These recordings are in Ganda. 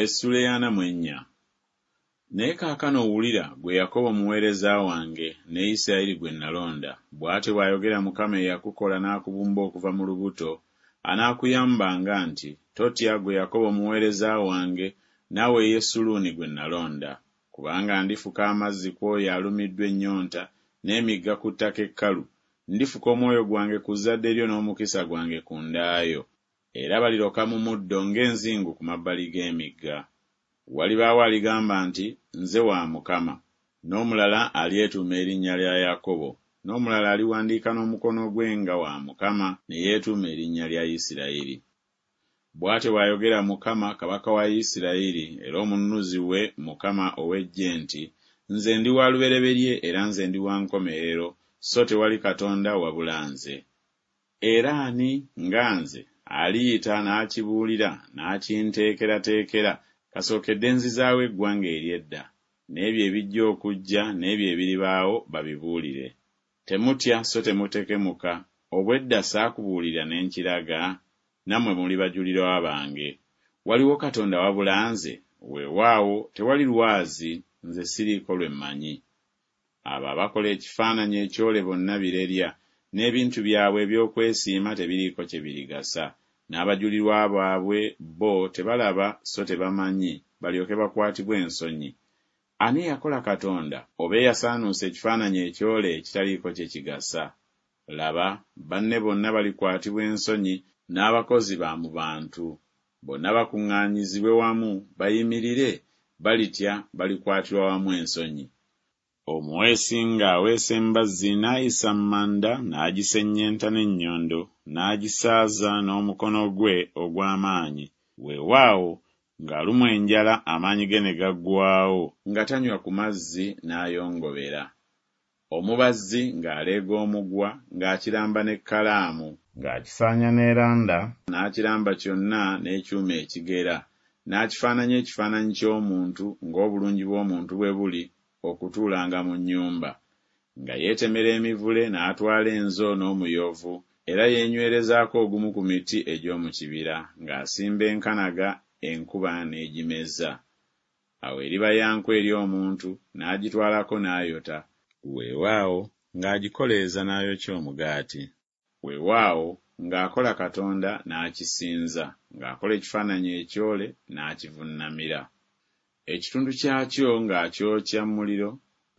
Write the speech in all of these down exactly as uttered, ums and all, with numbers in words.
Essula ey'ana mu ennya. Naye kaakano wulira, ggwe Yakobo omuweereza wange, ne Isirayiri gwe nalonda, bw'atyo bw'ayogera Mukama eyakukola n'akubumba okuva mu lubuto, anaakuyambanga nti, Totya, ggwe Yakobo omuweereza wange, naawe Yesuluuni gwe nalonda. Kubanga ndifuka amazzi ku oyo alumiddwa ennyonta, n'emigga ku ttaka ekkalu, ndifuka omwoyo gwange ku zzadde lyo n'omukisa gwange ku nda yo. Era baliroka mu muddo ng'enzingu ku mabbali g'emigga. Walibaawo aligamba nti, Nze wa Mukama. N'omulala alyetuuma erinnya lya Yakobo, n'omulala aliwandiika n'omukono gwe nga wa Mukama, ne yeetuuma erinnya lya Isirayiri. Bw'atyo bw'ayogera Mukama, Kabaka wa Isirayiri, era Omununuzi we, Mukama ow'eggye nti, Nze ndi wa lubereberye era nze ndi wa nkomerero, so tewali Katonda wabula nze. Era ani nga nze, aliyita n'akibuulira, n'akinteekerateekera, kasookedde nzizaawo eggwanga ery'edda, n'ebyo ebijja okujja n'ebyo ebiribaawo babibuulire. Temutya so temutekemuka, obw'edda saakubuulira ne nkiraga? Nammwe muli bajulirwa bange. Waliwo Katonda wabula nze? Weewaawo, tewali lwazi, nze siriiko lwe mmanyi. Abo abakola ekifaananyi ekyole bonna birerya, n'ebintu byabwe eby'okwesiima tebiriiko kye birigasa. N'abajulirwa baabwe bo tebalaba so tebamanyi, balyoke bakwatibwe ensonyi. Ani eyakola Katonda, oba eyasaanuusa ekifaananyi ekyole ekitaliiko kye kigasa? Laba, banne bonna balikwatibwa ensonyi, n'abakozi ba mu bantu. Bonna bakuŋŋaanyizibwe wamu, bayimirire, balitya, balikwatirwa wamu ensonyi. Omuweesi ng'aweesa embazzi n'ayisa manda n'agisennyenta n'ennyondo, n'agisaaza n'omukono gwe ogw'amaanyi, weewaawo, ng'alumwa enjala amaanyi ge ne gaggwaawo, nga tanywa ku mazzi n'ayongobera. Omubazzi ng'aleega omugwa, ng'akiramba n'ekkalaamu, ng'akisaanya n'eranda, n'akiramba kyonna n'ekyuma ekigera, n'akifaananya ekifaananyi ky'omuntu, ng'obulungi bw'omuntu bwe buli, okutuulanga mu nnyumba. Nga yeetemera emivule n'atwala enzo n'omuyovu, era yeenywerezaako ogumu ku miti egy'omu kibira, ng'asimba enkanaga, enkuba n'egimeza. Awo eriba ya nku eri omuntu, n'agitwalako n'ayota, weewaawo, ng'agikoleeza n'ayokya omugaati. Weewaawo, ng'akola katonda n'akisinza, ng'akola ekifaananyi ekyole n'akivunnamira. Ekitundu kyakyo ng'akyokya mu muliro,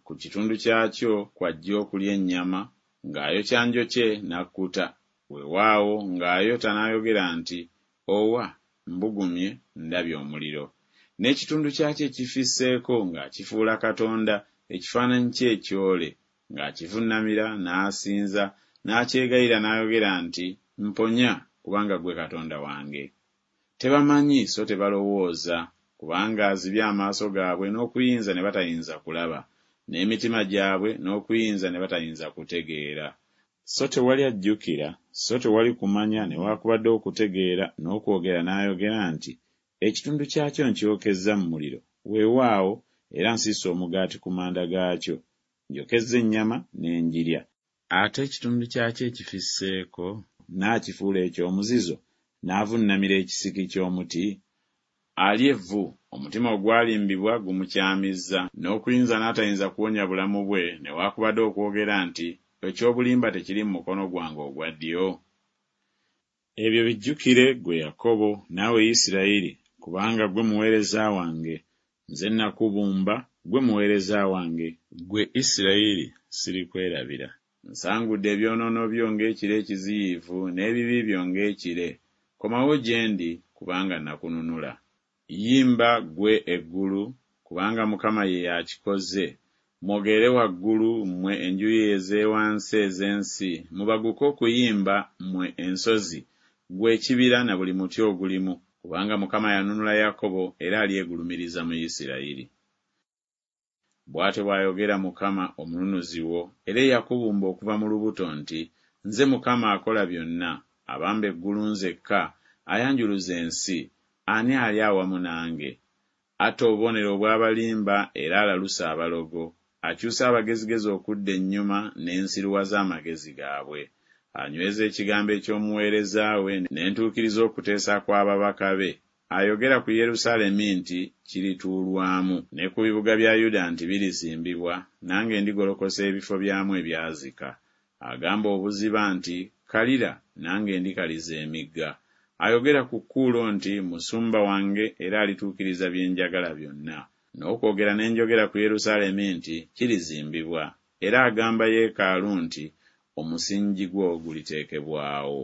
ku kitundu kyakyo kw'ajja okulya ennyama, ng'ayokya njokye n'akkuta, weewaawo, ng'ayota n'ayogera nti, Owa, mbugumye, ndabye omuliro. N'ekitundu kyakyo ekifisseeko ng'akifuula katonda, ekifaananyi kye ekyole, ng'akivunnamira n'asinza, n'akyegayirira n'ayogera nti, Mponya, kubanga ggwe Katonda wange. Tebamanyi so tebalowooza, kubanga azibye amaaso gaabwe n'okuyinza ne batayinza kulaba, n'emitima gyabwe n'okuyinza ne batayinza kutegeera. So tewali ajjukira, so tewali kumanya newakubadde okutegeera n'okwogera n'ayogera nti, Ekitundu kyakyo nkyokezza mu muliro, weewaawo, era nsiise omugaati ku manda gaakyo, njokezza ennyama ne ngirya. Ate ekitundu kyakyo ekifisseeko naakifuula eky'omuzizo, naavunnamira ekisiki ky'omuti? Alya evvu, omutima ogwalimbibwa gumukyamizza, n'okuyinza n'atayinza kuwonya bulamu bwe, newakubadde okwogera nti, Eky'obulimba tekiri mu mukono gwange ogwa ddyo? Ebyo bijjukire, ggwe Yakobo, naawe Isirayiri, kubanga ggwe muweereza wange, nze nakubumba, ggwe muweereza wange, ggwe Isirayiri, sirikwerabira. Nsangudde ebyonoono byo ng'ekire ekiziyivu, n'ebibi byo ng'ekire. Komawo gye ndi, kubanga nakununula. Yimba ggwe eggulu, kubanga Mukama ye y'akikoze. Mwogere waggulu, mmwe enjuyi ez'ewansi ez'ensi, mubaguke okuyimba, mmwe ensozi, ggwe ekibira na buli muti ogulimu, kubanga Mukama yanunula Yakobo era alyegulumiriza mu Isirayiri. Bw'atyo bw'ayogera Mukama Omununuzi wo, era eyakubumba okuva mu lubuto nti, Nze Mukama akola byonna, abamba eggulu nzekka, ayanjuluza ensi, ani ali awamu nange? Atta obubonero obw'abalimba era alalusa abalogo, akyusa abagezigezi okudda ennyuma ne nsiruwaza amagezi gaabwe. Anyweza ekigambo eky'omuweereza we, ne ntuukiriza okuteesa kw'ababaka be. Ayogera ku Yerusaalemi nti Kirituulwamu, ne ku bibuga bya Yuda nti Birizimbibwa, nange ndigolokosa ebifo byamu ebyazika. Agamba obuziba nti Kalira, nange ndikaliza emigga. Ayogera ku Kuulo nti Musumba wange era alituukiriza bye njagala byonna. N'okwogera ne njogera ku Yerusaalemi nti Kirizimbibwa, era agamba yeekaalu nti Omusingi gwo guliteekebwawo.